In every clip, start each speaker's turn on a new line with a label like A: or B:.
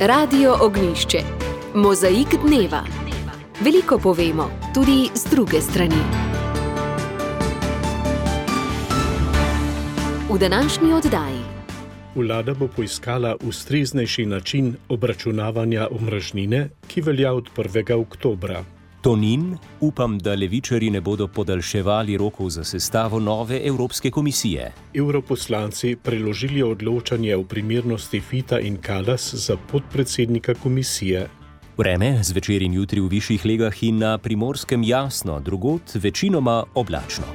A: Radio Ognjišče. Mozaik dneva. Veliko povemo, tudi z druge strani. V današnji oddaji.
B: Vlada bo poiskala ustreznejši način obračunavanja omrežnine, ki velja od 1. oktobra.
C: Tonin, upam, da levičarji ne bodo podaljševali rokov za sestavo nove Evropske komisije.
B: Evroposlanci preložili odločanje o primernosti Fita in Kallas za podpredsednika komisije.
C: Vreme zvečer in jutri v višjih legah in na Primorskem jasno, drugod večinoma oblačno.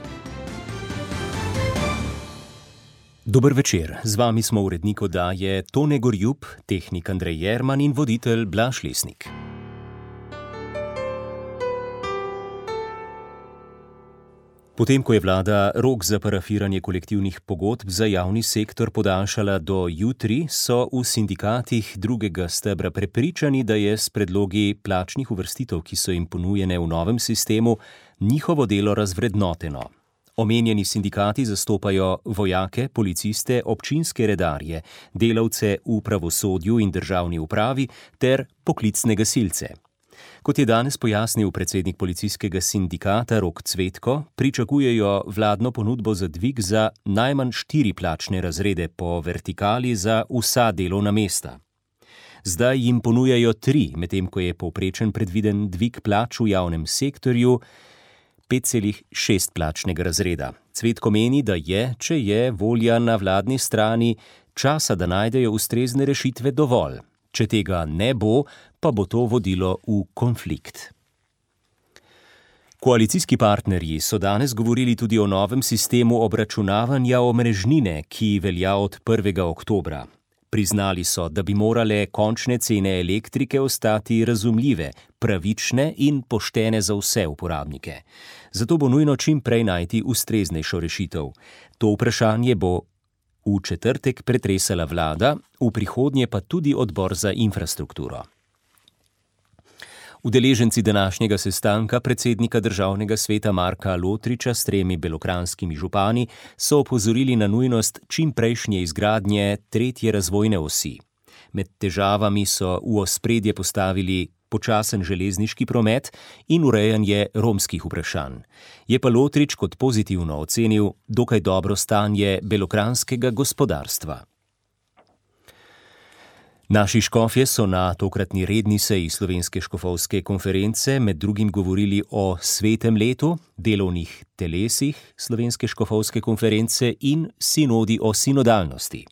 C: Dober večer, z vami smo urednik oddaje Tone Gorjup, tehnik Andrej Jerman in voditelj Blaž Lesnik. Potem, ko je vlada rok za parafiranje kolektivnih pogodb za javni sektor podaljšala do jutri, so v sindikatih drugega stebra prepričani, da je s predlogi plačnih uvrstitev, ki so jim ponujene v novem sistemu, njihovo delo razvrednoteno. Omenjeni sindikati zastopajo vojake, policiste, občinske redarje, delavce v pravosodju in državni upravi ter poklicne gasilce. Kot je danes pojasnil predsednik policijskega sindikata Rok Cvetko, pričakujejo vladno ponudbo za dvig za najmanj 4 plačne razrede po vertikali za vsa delovna mesta. Zdaj jim ponujajo 3, medtem ko je povprečen predviden dvig plač v javnem sektorju 5,6 plačnega razreda. Cvetko meni, da je, če je volja na vladni strani, časa, da najdejo ustrezne rešitve dovolj. Če tega ne bo, pa bo to vodilo v konflikt. Koalicijski partnerji so danes govorili tudi o novem sistemu obračunavanja omrežnine, ki velja od 1. oktobra. Priznali so, da bi morale končne cene elektrike ostati razumljive, pravične in poštene za vse uporabnike. Zato bo nujno čim prej najti ustreznejšo rešitev. To vprašanje bo v četrtek pretresala vlada, v prihodnje pa tudi odbor za infrastrukturo. Udeleženci današnjega sestanka predsednika Državnega sveta Marka Lotriča s 3 belokranjskimi župani so opozorili na nujnost čimprejšnje izgradnje 3. razvojne osi. Med težavami so v ospredje postavili počasen železniški promet in urejanje romskih vprašanj. Je pa Lotrič kot pozitivno ocenil dokaj dobro stanje belokranjskega gospodarstva. Naši škofje so na tokratni redni seji Slovenske škofovske konference med drugim govorili o svetem letu, delovnih telesih Slovenske škofovske konference in sinodi o sinodalnosti.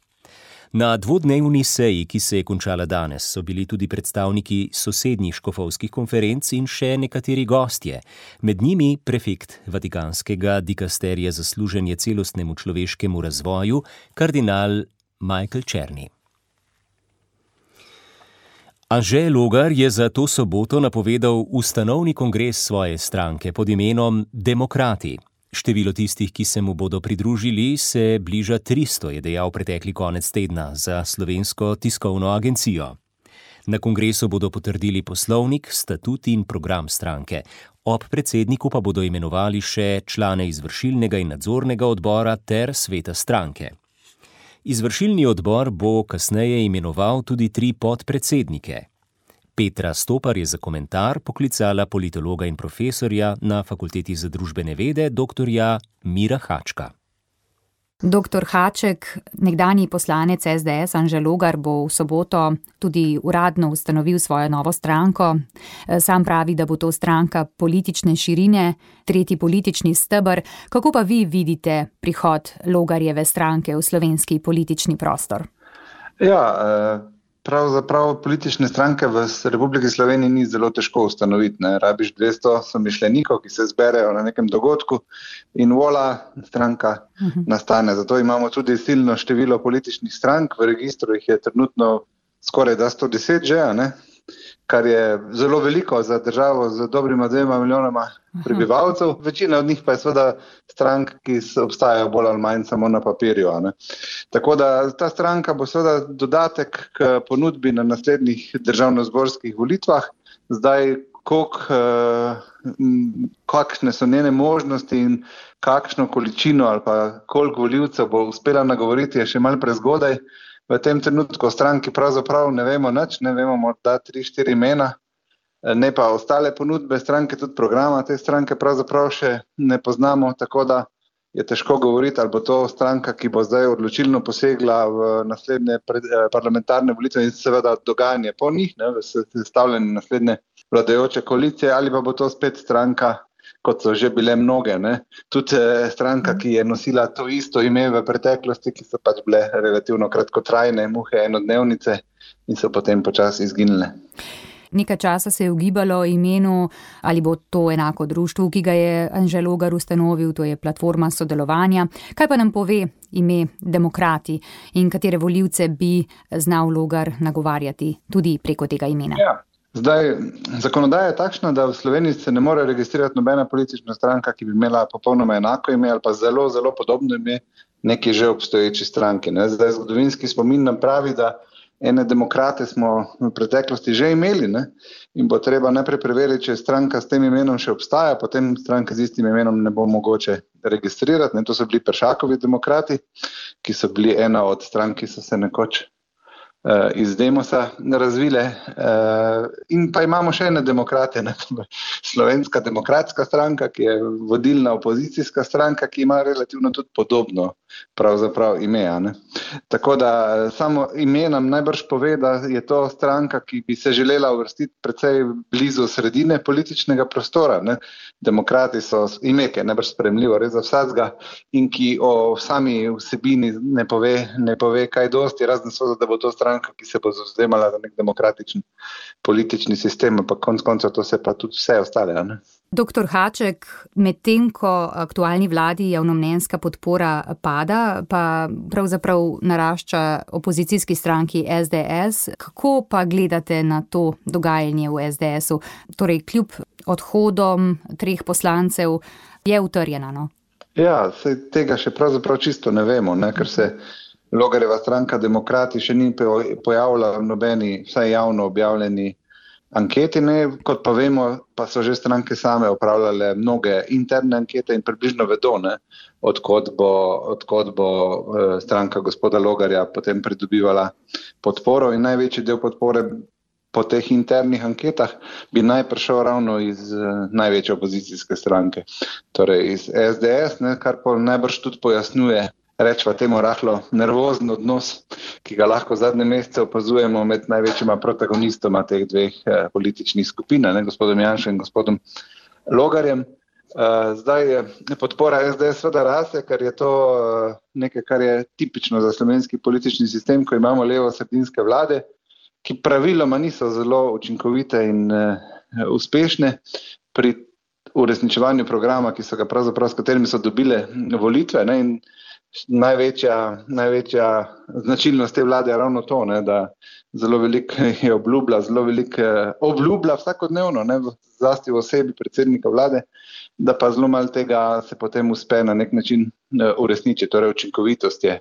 C: Na dvodnevni seji, ki se je končala danes, so bili tudi predstavniki sosednjih škofovskih konferenc in še nekateri gostje. Med njimi prefekt Vatikanskega dikasterija za služenje celostnemu človeškemu razvoju, kardinal Michael Černi. Anže Logar je za to soboto napovedal ustanovni kongres svoje stranke pod imenom Demokrati. Število tistih, ki se mu bodo pridružili, se bliža 300, je dejal pretekli konec tedna za Slovensko tiskovno agencijo. Na kongresu bodo potrdili poslovnik, statut in program stranke. Ob predsedniku pa bodo imenovali še člane izvršilnega in nadzornega odbora ter sveta stranke. Izvršilni odbor bo kasneje imenoval tudi 3 podpredsednike. Petra Stopar je za komentar poklicala politologa in profesorja na Fakulteti za družbene vede, doktorja Mira Hačka.
D: Doktor Haček, nekdanji poslanec SDS Anže Logar bo v soboto tudi uradno ustanovil svojo novo stranko. Sam pravi, da bo to stranka politične širine, 3. politični steber. Kako pa vi vidite prihod Logarjeve stranke v slovenski politični prostor?
E: Pravzaprav politične stranke v Republiki Sloveniji ni zelo težko ustanoviti. Rabiš 200 somišljenikov, ki se zberejo na nekem dogodku in vola, stranka nastane. Zato imamo tudi silno število političnih strank, v registru jih je trenutno skoraj 110 že, kar je zelo veliko za državo z dobrima 2 milijonoma prebivalcev. Večina od njih pa je seveda strank, ki obstajajo bolj ali manj samo na papirju. Tako da ta stranka bo seveda dodatek k ponudbi na naslednjih državnozborskih volitvah. Zdaj, kakšne so njene možnosti in kakšno količino ali pa koliko volivcev bo uspela nagovoriti, je še malo prezgodaj. v tem trenutku o stranki pravzaprav ne vemo nič, ne vemo morda 3-4 imena, ne pa ostale ponudbe stranke, tudi programa te stranke pravzaprav še ne poznamo, tako da je težko govoriti, ali bo to stranka, ki bo zdaj odločilno posegla v naslednje parlamentarne volitve in seveda dogajanje po njih, v sestavljanju naslednje vladajoče koalicije, ali pa bo to spet stranka, kot so že bile mnoge, tudi stranka, ki je nosila to isto ime v preteklosti, ki so pač bile relativno kratkotrajne muhe, enodnevnice in so potem počasi izginile.
D: Nekaj časa se je ugibalo imenu, ali bo to enako društvu, ki ga je Anže Logar ustanovil, to je platforma sodelovanja. Kaj pa nam pove ime Demokrati in katere volivce bi znal Logar nagovarjati tudi preko tega imena?
E: Ja. Zdaj, zakonodaja je takšna, da v Sloveniji se ne more registrirati nobena politična stranka, ki bi imela popolnoma enako ime ali pa zelo, zelo podobno ime neki že obstoječi stranki. Zdaj, zgodovinski spomin nam pravi, da ene demokrate smo v preteklosti že imeli, in bo treba najprej preveriti, če stranka s tem imenom še obstaja, potem stranka z istim imenom ne bo mogoče registrirati. To so bili Peršakovi demokrati, ki so bili ena od strank, ki so se nekoč iz Demosa razvile. In pa imamo še ene demokrate, Slovenska demokratska stranka, ki je vodilna opozicijska stranka, ki ima relativno tudi podobno pravzaprav ime. Tako da samo ime nam najbrž pove, da je to stranka, ki bi se želela uvrstiti precej blizu sredine političnega prostora. Demokrati so ime, ki je najbrž sprejemljivo res za vsakega in ki o sami vsebini ne pove kaj dosti, razen seveda, da bo to stranka, ki se bo zavzemala za nek demokratičen politični sistem, pa konec koncev to se pa tudi vse ostale.
D: Doktor Haček, medtem ko aktualni vladi javnomnenjska podpora pada, pa pravzaprav narašča opozicijski stranki SDS, kako pa gledate na to dogajanje v SDS-u? Torej, kljub odhodom 3 poslancev je utrjena,
E: Ja, tega še pravzaprav čisto ne vemo, ker se Logarjeva stranka Demokrati še ni pojavila v nobeni, vsaj javno objavljeni anketi, kot pa vemo, pa so že stranke same opravljale mnoge interne ankete in približno vedo, odkot bo stranka gospoda Logarja potem pridobivala podporo in največji del podpore po teh internih anketah bi naj prišel ravno iz največje opozicijske stranke, torej iz SDS, kar pa najbrž tudi pojasnjuje, rečva temu rahlo nervozen odnos, ki ga lahko zadnje mesece opazujemo med največjima protagonistoma teh 2 političnih skupin, gospodom Janšo in gospodom Logarjem. Zdaj je podpora SDS seveda raste, ker je to nekaj, kar je tipično za slovenski politični sistem, ko imamo levo-sredinske vlade, ki praviloma niso zelo učinkovite in uspešne pri uresničevanju programa, s katerimi so dobile volitve, in največja značilnost te vlade je ravno to, da zelo veliko je obljublja vsakodnevno, zlasti v osebi predsednika vlade, da pa zelo malo tega se potem uspe na nek način uresničiti. Torej, učinkovitost je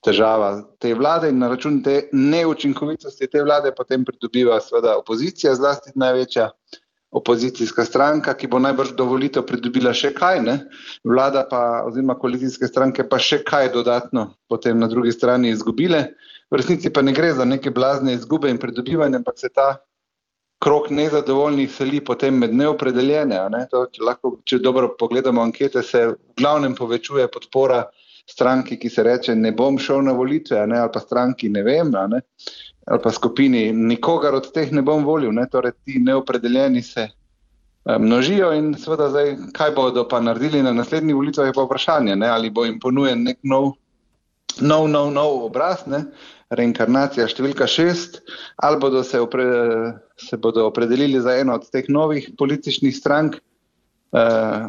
E: težava te vlade in na račun te neučinkovitosti te vlade potem pridobiva seveda opozicija, zlasti največja opozicijska stranka, ki bo najbrž do volitev pridobila še kaj, vlada pa oziroma koalicijske stranke pa še kaj dodatno potem na drugi strani izgubile. V resnici pa ne gre za neke blazne izgube in pridobivanje, ampak se ta krog nezadovoljnih seli potem med neopredeljene. Če dobro pogledamo ankete, se v glavnem povečuje podpora stranki, ki se reče ne bom šel na volitve, ali pa stranki ne vem, ali pa skupini nikogar od teh ne bom volil, torej ti neopredeljeni se množijo in seveda zdaj, kaj bodo pa naredili na naslednjih volitvah, je pa vprašanje, ali bo jim ponujen nek nov obraz, reinkarnacija številka 6, ali bodo se bodo opredelili za eno od teh novih političnih strank,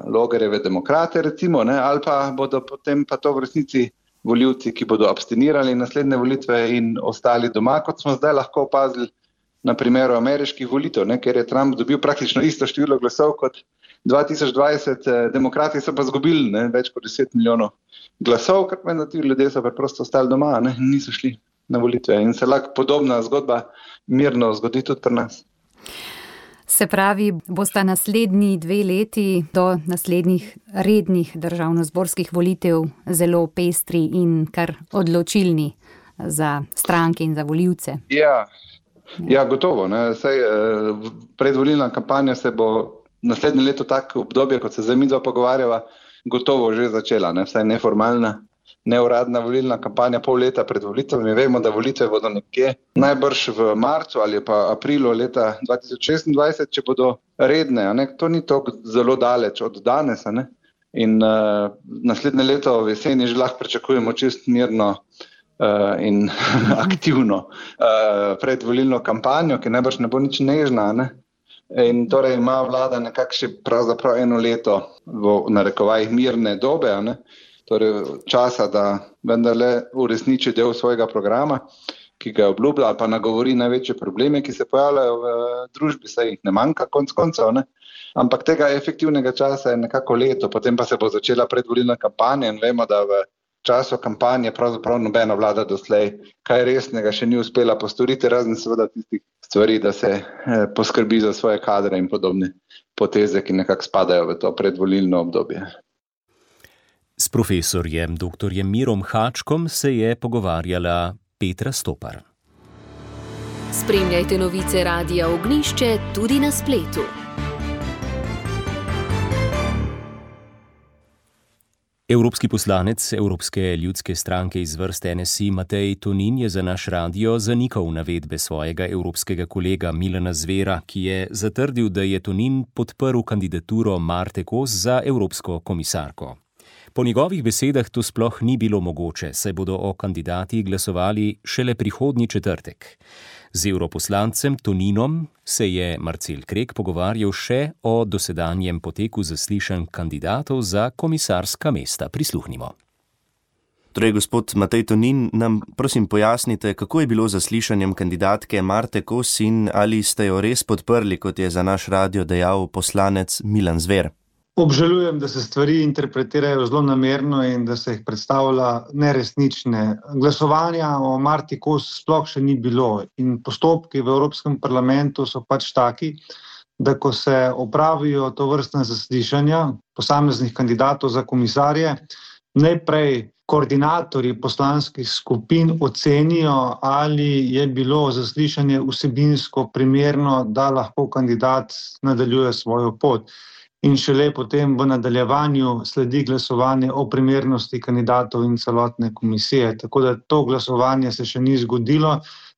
E: Logarjeve demokrate recimo, ali pa bodo potem pa to v resnici volivci, ki bodo abstinirali naslednje volitve in ostali doma, kot smo zdaj lahko opazili na primeru ameriških volitev, ker je Trump dobil praktično isto število glasov kot 2020, demokrati so pa zgubili več kot 10 milijonov glasov, ker pomeni, da ti ljudje so preprosto ostali doma, niso šli na volitve in se lahko podobna zgodba mirno zgodi tudi pri nas.
D: Se pravi, bosta naslednji 2 leti do naslednjih rednih državnozborskih volitev zelo pestri in kar odločilni za stranke in za volivce.
E: Ja, gotovo. Predvolilna kampanja se bo naslednje leto tako obdobje, kot se zdaj midva pogovarjava, gotovo že začela. Vsaj neformalna, neuradna volilna kampanja pol leta pred volitvami. Vemo, da volitve bodo nekje najbrž v marcu ali pa aprilu leta 2026, če bodo redne. To ni tako zelo daleč od danes. In naslednje leto v jeseni že lahko pričakujemo čist mirno in aktivno predvolilno kampanjo, ki najbrž ne bo nič nežna. In torej ima vlada nekako še pravzaprav eno leto v narekovajih mirne dobe, torej časa, da vendarle uresniči del svojega programa, ki ga obljublja, pa nagovori največje probleme, ki se pojavljajo v družbi, saj jih ne manjka konec koncev. Ampak tega efektivnega časa je nekako leto, potem pa se bo začela predvolilna kampanja in vemo, da v času kampanje pravzaprav nobena vlada doslej kaj resnega še ni uspela postoriti, razen seveda tistih stvari, da se poskrbi za svoje kadre in podobne poteze, ki nekako spadajo v to predvolilno obdobje.
C: S profesorjem dr. Mirom Hačkom se je pogovarjala Petra Stopar.
A: Spremljajte novice Radia Ognjišče tudi na spletu.
C: Evropski poslanec Evropske ljudske stranke iz vrst NSI Matej Tonin je za naš radio zanikal navedbe svojega evropskega kolega Milana Zvera, ki je zatrdil, da je Tonin podprl kandidaturo Marte Kos za evropsko komisarko. Po njegovih besedah to sploh ni bilo mogoče, saj bodo o kandidatih glasovali šele prihodnji četrtek. Z evroposlancem Toninom se je Marcel Krek pogovarjal še o dosedanjem poteku zaslišanj kandidatov za komisarska mesta. Prisluhnimo.
F: Torej, gospod Matej Tonin, nam prosim pojasnite, kako je bilo z zaslišanjem kandidatke Marte Kos in ali ste jo res podprli, kot je za naš radio dejal poslanec Milan Zver?
G: Obžalujem, da se stvari interpretirajo zelo namerno in da se jih predstavlja neresnične. Glasovanja o Marti Kos sploh še ni bilo in postopki v Evropskem parlamentu so pač taki, da ko se opravijo tovrstna zaslišanja posameznih kandidatov za komisarje, najprej koordinatorji poslanskih skupin ocenijo, ali je bilo zaslišanje vsebinsko primerno, da lahko kandidat nadaljuje svojo pot. In šele potem v nadaljevanju sledi glasovanje o primernosti kandidatov in celotne komisije. Tako da to glasovanje se še ni zgodilo.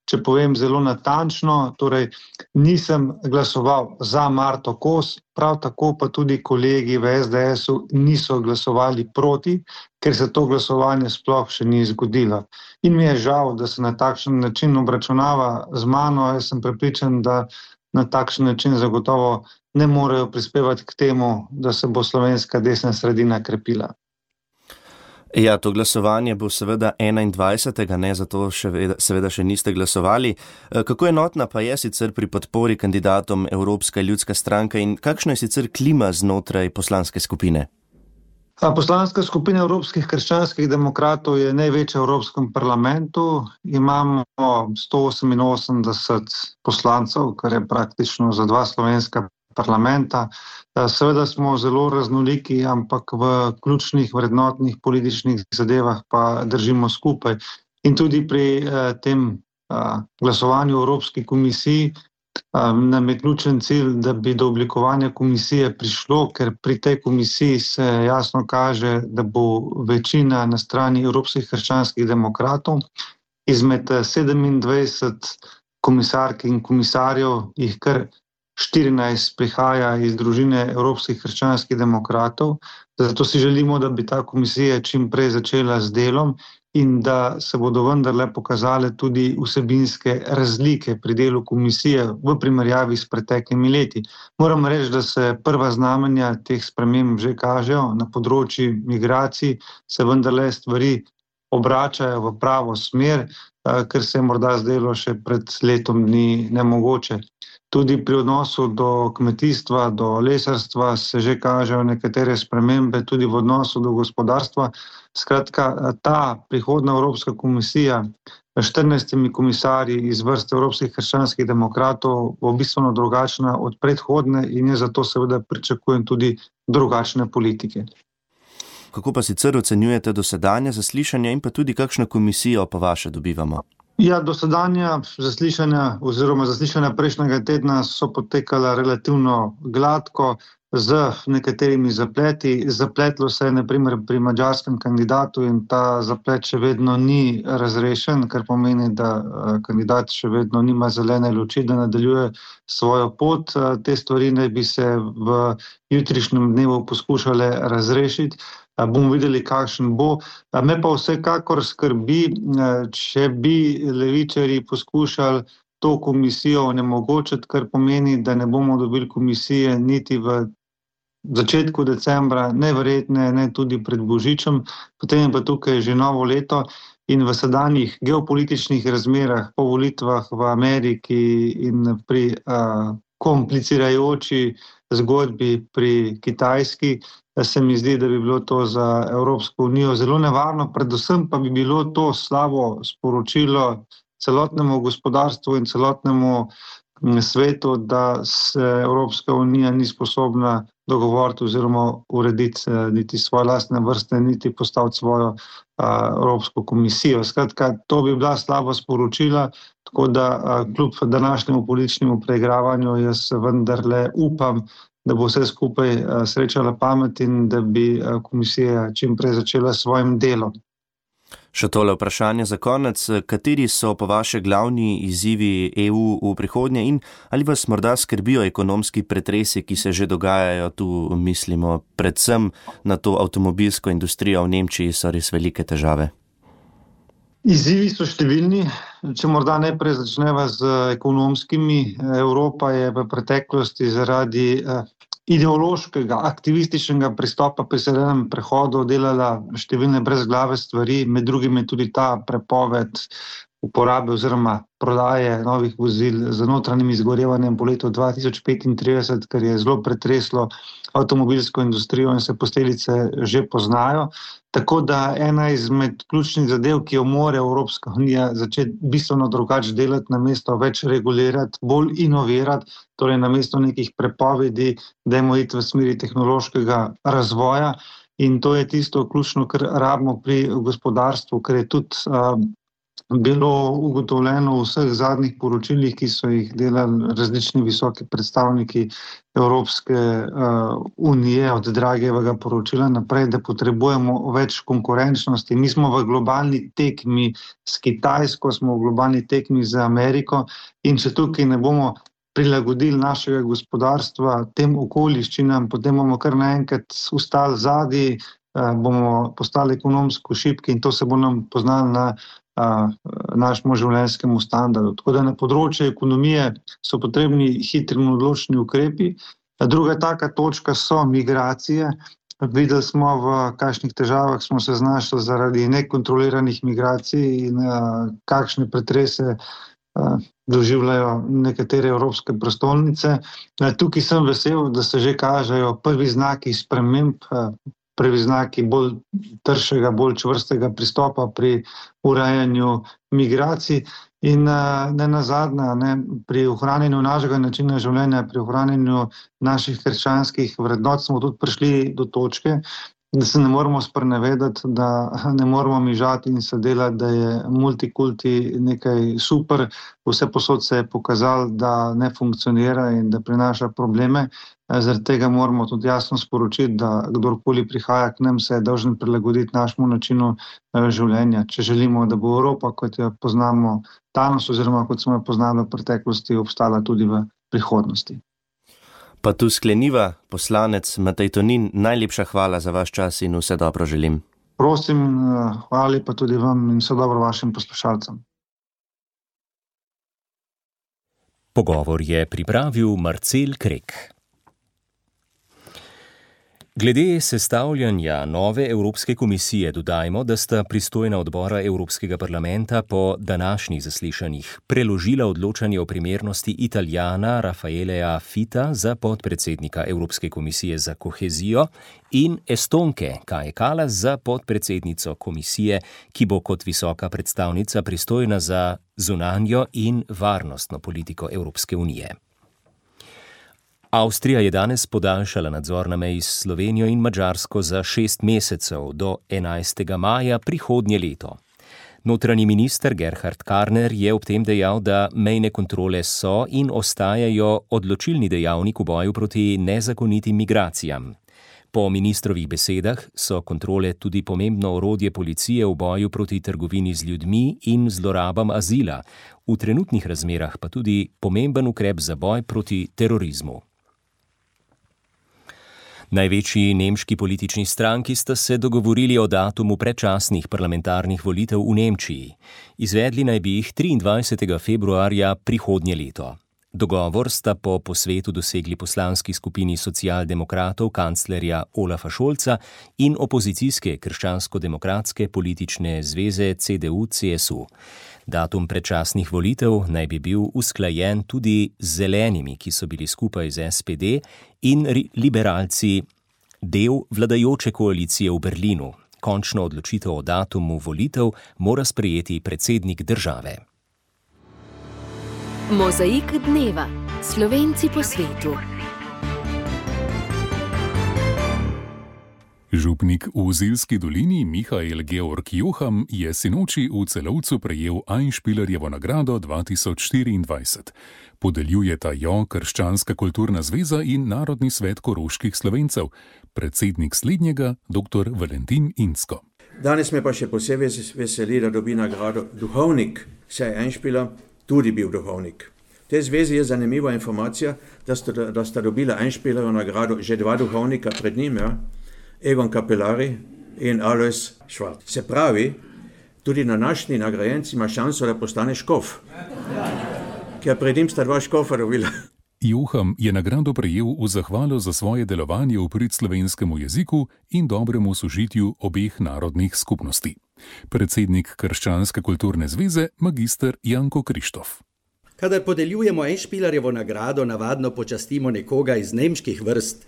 G: Če povem zelo natančno, torej nisem glasoval za Marto Kos, prav tako pa tudi kolegi v SDS-u niso glasovali proti, ker se to glasovanje sploh še ni zgodilo. In mi je žal, da se na takšen način obračunava z mano. Jaz sem prepričan, da na takšen način zagotovo ne morejo prispevati k temu, da se bo slovenska desna sredina krepila.
F: Ja, to glasovanje bo seveda 21. Zato seveda še niste glasovali. Kako enotna pa je sicer pri podpori kandidatom Evropska ljudska stranka in kakšna je sicer klima znotraj poslanske skupine?
G: Poslanska skupina Evropskih krščanskih demokratov je največja v Evropskem parlamentu. Imamo 188 poslancev, kar je praktično za 2 slovenska parlamenta. Seveda smo zelo raznoliki, ampak v ključnih vrednotnih političnih zadevah pa držimo skupaj. In tudi pri tem glasovanju v Evropski komisiji nam je ključen cilj, da bi do oblikovanja komisije prišlo, ker pri tej komisiji se jasno kaže, da bo večina na strani Evropskih krščanskih demokratov. Izmed 27 komisark in komisarjev jih kar 14 prihaja iz družine Evropskih krščanskih demokratov. Zato si želimo, da bi ta komisija čim prej začela z delom in da se bodo vendarle pokazale tudi vsebinske razlike pri delu komisije v primerjavi s preteklimi leti. Moram reči, da se prva znamenja teh sprememb že kažejo. Na področju migracij se vendarle stvari obračajo v pravo smer, ker se je morda zdelo še pred letom dni nemogoče. Tudi pri odnosu do kmetijstva, do lesarstva se že kažejo nekatere spremembe, tudi v odnosu do gospodarstva. Skratka, ta prihodna Evropska komisija s 14 komisarji iz vrste Evropskih krščanskih demokratov bo bistveno drugačna od predhodne in je zato seveda pričakujem tudi drugačne politike.
F: kako pa sicer ocenjujete dosedanje zaslišanja in pa tudi kakšno komisijo po vaše dobivamo?
G: Ja, dosedanja zaslišanja oziroma zaslišanja prejšnjega tedna so potekala relativno gladko, z nekaterimi zapleti. Zapletlo se je na primer pri madžarskem kandidatu in ta zaplet še vedno ni razrešen, kar pomeni, da kandidat še vedno nima zelene luči, da nadaljuje svojo pot. Te stvari naj bi se v jutrišnjem dnevu poskušale razrešiti. Bomo videli, kakšen bo. Me pa vsekakor skrbi, če bi levičarji poskušali to komisijo onemogočiti, kar pomeni, da ne bomo dobili komisije niti v začetku decembra, neverjetne, ne tudi pred Božičem, potem je pa tukaj že novo leto in v sedanjih geopolitičnih razmerah po volitvah v Ameriki in pri komplicirajoči zgodbi pri Kitajski, se mi zdi, da bi bilo to za Evropsko unijo zelo nevarno, predvsem pa bi bilo to slabo sporočilo celotnemu gospodarstvu in celotnemu svetu, da se Evropska unija ni sposobna dogovoriti oziroma urediti niti svoje lastne vrste, niti postaviti svojo Evropsko komisijo. Skratka, to bi bila slaba sporočila, tako da kljub današnjemu političnemu preigravanju jaz vendarle upam, da bo vse skupaj srečala pamet in da bi komisija čim prej začela s svojim delom.
F: Še tole vprašanje za konec. Kateri so po vaše glavni izzivi EU v prihodnje in ali vas morda skrbijo ekonomski pretresi, ki se že dogajajo? Tu mislimo predvsem na to avtomobilsko industrijo v Nemčiji, so res velike težave.
G: Izzivi so številni. Če morda najprej začneva z ekonomskimi. Evropa je v preteklosti zaradi ideološkega, aktivističnega pristopa pri zelenem prehodu delala številne brezglave stvari, med drugim je tudi ta prepoved uporabe oziroma prodaje novih vozil z notranjim izgorevanjem po letu 2035, kar je zelo pretreslo avtomobilsko industrijo in se posledice že poznajo. Tako da ena izmed ključnih zadev, ki jo mora Evropska unija začeti bistveno drugače delati, namesto več regulirati, bolj inovirati, torej namesto nekih prepovedi, dajmo iti v smeri tehnološkega razvoja. In to je tisto ključno, kar rabimo pri gospodarstvu, ker je tudi bilo ugotovljeno v vseh zadnjih poročilih, ki so jih delali različni visoki predstavniki Evropske unije, od Dragijevega poročila naprej, da potrebujemo več konkurenčnosti. Mi smo v globalni tekmi s Kitajsko, smo v globalni tekmi z Ameriko in če tukaj ne bomo prilagodili našega gospodarstva tem okoliščinam, potem bomo kar naenkrat ustali zadaj, bomo postali ekonomsko šibki in to se bo nam poznalo na našemu življenjskemu standardu. Tako da na področju ekonomije so potrebni hitri in odločni ukrepi. Druga taka točka so migracije. Videli smo, v kakšnih težavah smo se znašli zaradi nekontroliranih migracij in kakšne pretrese doživljajo nekatere evropske prestolnice. Tukaj sem vesel, da se že kažejo prvi znaki sprememb, prvi znaki bolj tršega, bolj čvrstega pristopa pri urejanju migracij in ne nazadnje, pri ohranjanju našega načina življenja, pri ohranjanju naših krščanskih vrednot smo tudi prišli do točke, da se ne moramo sprenevedati, da ne moramo mižati in se delati, da je multikulti nekaj super. Vse posod se je pokazalo, da ne funkcionira in da prinaša probleme. Zaradi tega moramo tudi jasno sporočiti, da kdorkoli prihaja k nam, se je dolžen prilagoditi našemu načinu življenja. Če želimo, da bo Evropa, kot jo poznamo danes oziroma kot smo jo poznali v preteklosti, obstala tudi v prihodnosti.
F: Pa tu skleniva, poslanec Matej Tonin, najlepša hvala za vaš čas in vse dobro želim.
G: Prosim, hvala pa tudi vam in vse dobro vašim poslušalcem.
C: Pogovor je pripravil Marcel Krek. Glede sestavljanja nove Evropske komisije dodajmo, da sta pristojna odbora Evropskega parlamenta po današnjih zaslišanjih preložila odločanje o primernosti Italijana Raffaelea Fita za podpredsednika Evropske komisije za kohezijo in Estonke Kaje Kallas za podpredsednico komisije, ki bo kot visoka predstavnica pristojna za zunanjo in varnostno politiko Evropske unije. Avstrija je danes podaljšala nadzor na meji s Slovenijo in Madžarsko za 6 mesecev do 11. maja prihodnje leto. Notranji minister Gerhard Karner je ob tem dejal, da mejne kontrole so in ostajajo odločilni dejavnik v boju proti nezakonitim migracijam. Po ministrovih besedah so kontrole tudi pomembno orodje policije v boju proti trgovini z ljudmi in zlorabam azila, v trenutnih razmerah pa tudi pomemben ukrep za boj proti terorizmu. Največji nemški politični stranki sta se dogovorili o datumu predčasnih parlamentarnih volitev v Nemčiji. Izvedli naj bi jih 23. februarja prihodnje leto. Dogovor sta po posvetu dosegli poslanski skupini socialdemokratov kanclerja Olafa Scholza in opozicijske krščansko-demokratske politične zveze CDU-CSU. Datum predčasnih volitev naj bi bil usklajen tudi z zelenimi, ki so bili skupaj z SPD in liberalci del vladajoče koalicije v Berlinu. Končno odločitev o datumu volitev mora sprejeti predsednik države.
A: Mozaik dneva. Slovenci po svetu.
H: Župnik v Zilski dolini Mihael Georg Joham je sinoči v Celovcu prejel Einspielerjevo nagrado 2024. Podeljujeta jo Krščanska kulturna zveza in Narodni svet koroških Slovencev, predsednik slednjega dr. Valentin Insko.
I: Danes me pa še posebej veseli, da dobi nagrado duhovnik, saj je Einspieler tudi bil duhovnik. V tej zvezi je zanimiva informacija, da sta dobila Einspielerjevo nagrado že 2 duhovnika pred njim, Egon Kapelari in Alois Schwarz. Se pravi, tudi na današnji nagrajenec ima šanso, da postane škof. Ker pred njim sta 2 škofa dobila.
H: Joham je nagrado prejel v zahvalo za svoje delovanje v prid slovenskemu jeziku in dobremu sožitju obeh narodnih skupnosti. Predsednik Krščanske kulturne zveze, magister Janko Krištof.
J: Kadar podeljujemo Einspielerjevo nagrado, navadno počastimo nekoga iz nemških vrst,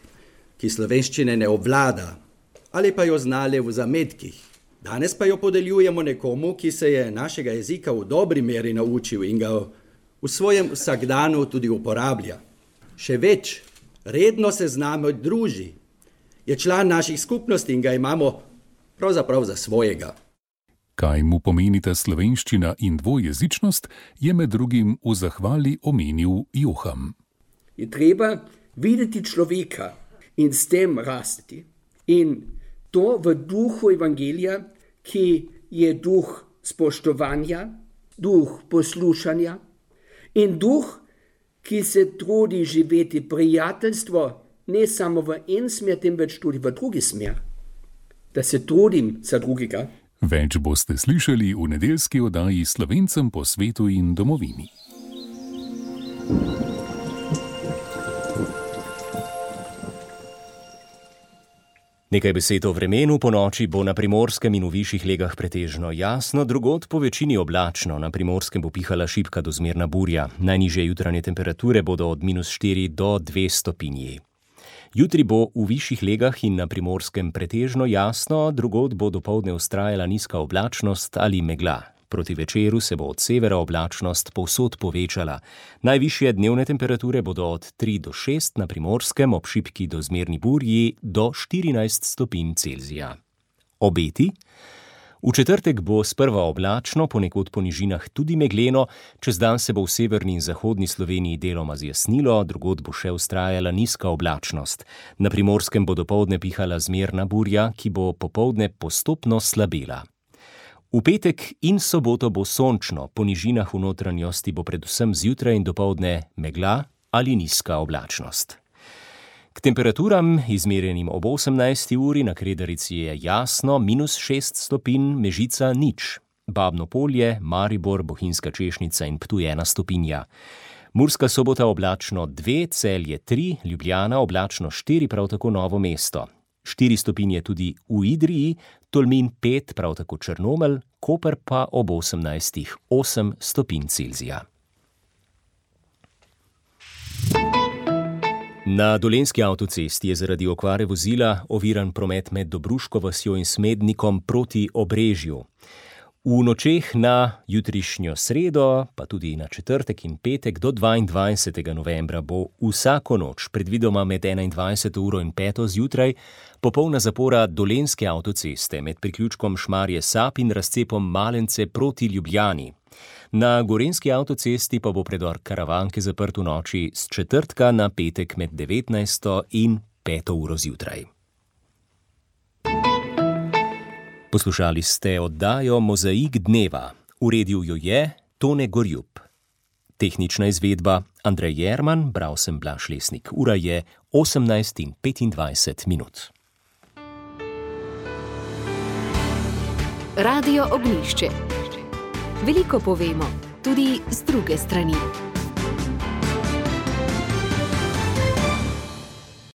J: ki slovenščine ne obvlada, ali pa jo znale v zametkih. Danes pa jo podeljujemo nekomu, ki se je našega jezika v dobri meri naučil in ga v svojem vsakdanu tudi uporablja. Še več, redno se z nami druži. Je član naših skupnosti in ga imamo pravzaprav za svojega.
H: Kaj mu pomenita slovenščina in dvojezičnost, je med drugim v zahvali omenil Joham.
K: Je treba videti človeka in s tem rasti. In to v duhu evangelija, ki je duh spoštovanja, duh poslušanja in duh, ki se trudi živeti prijateljstvo ne samo v en smer, temveč tudi v drugi smer. Da se trudim za drugega.
H: Več boste slišali v nedeljski oddaji Slovencem po svetu in domovini.
C: Nekaj besed o vremenu. Po noči bo na Primorskem in v višjih legah pretežno jasno, drugod po večini oblačno. Na Primorskem bo pihala šibka do zmerna burja. Najnižje jutranje temperature bodo od -4 do 2 stopinji. Jutri bo v višjih legah in na Primorskem pretežno jasno, drugod bo dopoldne vztrajala nizka oblačnost ali megla. Proti večeru se bo od severa oblačnost povsod povečala. Najvišje dnevne temperature bodo od 3 do 6, na Primorskem ob šibki do zmerni burji do 14 stopinj Celzija. Obeti? V četrtek bo sprva oblačno, ponekod po nižinah tudi megleno, čez dan se bo v severni in zahodni Sloveniji deloma zjasnilo, drugod bo še vztrajala nizka oblačnost. Na Primorskem bo dopoldne pihala zmerna burja, ki bo popoldne postopno slabela. V petek in soboto bo sončno, po nižinah v notranjosti bo predvsem zjutraj in dopoldne megla ali nizka oblačnost. K temperaturam, izmerjenim ob 18. uri, na Kredarici je jasno, -6 stopinj, Mežica 0, Babno Polje, Maribor, Bohinjska Češnica in Ptuj 1 stopinja. Murska Sobota oblačno 2, Celje 3, Ljubljana oblačno 4, prav tako Novo mesto. 4 stopinje tudi v Idriji, Tolmin 5, prav tako Črnomelj, Koper pa ob 18, 8 stopinj Celzija. Na Dolenjski avtocesti je zaradi okvare vozila oviran promet med Dobruško vasjo in Smednikom proti Obrežju. V nočeh na jutrišnjo sredo, pa tudi na četrtek in petek do 22. novembra bo vsako noč, predvidoma med 21. uro in 5. zjutraj, popolna zapora Dolenjske avtoceste med priključkom Šmarje Sap in razcepom Malence proti Ljubljani. Na gorenjski avtocesti pa bo predor Karavanke zaprt v noči s četrtka na petek med 19. in 5. uro zjutraj. Poslušali ste oddajo Mozaik dneva. Uredil jo je Tone Gorjup. Tehnična izvedba Andrej Jerman, bral sem Blaž Lesnik. Ura je 18:25.
A: Radio Ognjišče. Veliko povemo, tudi z druge strani.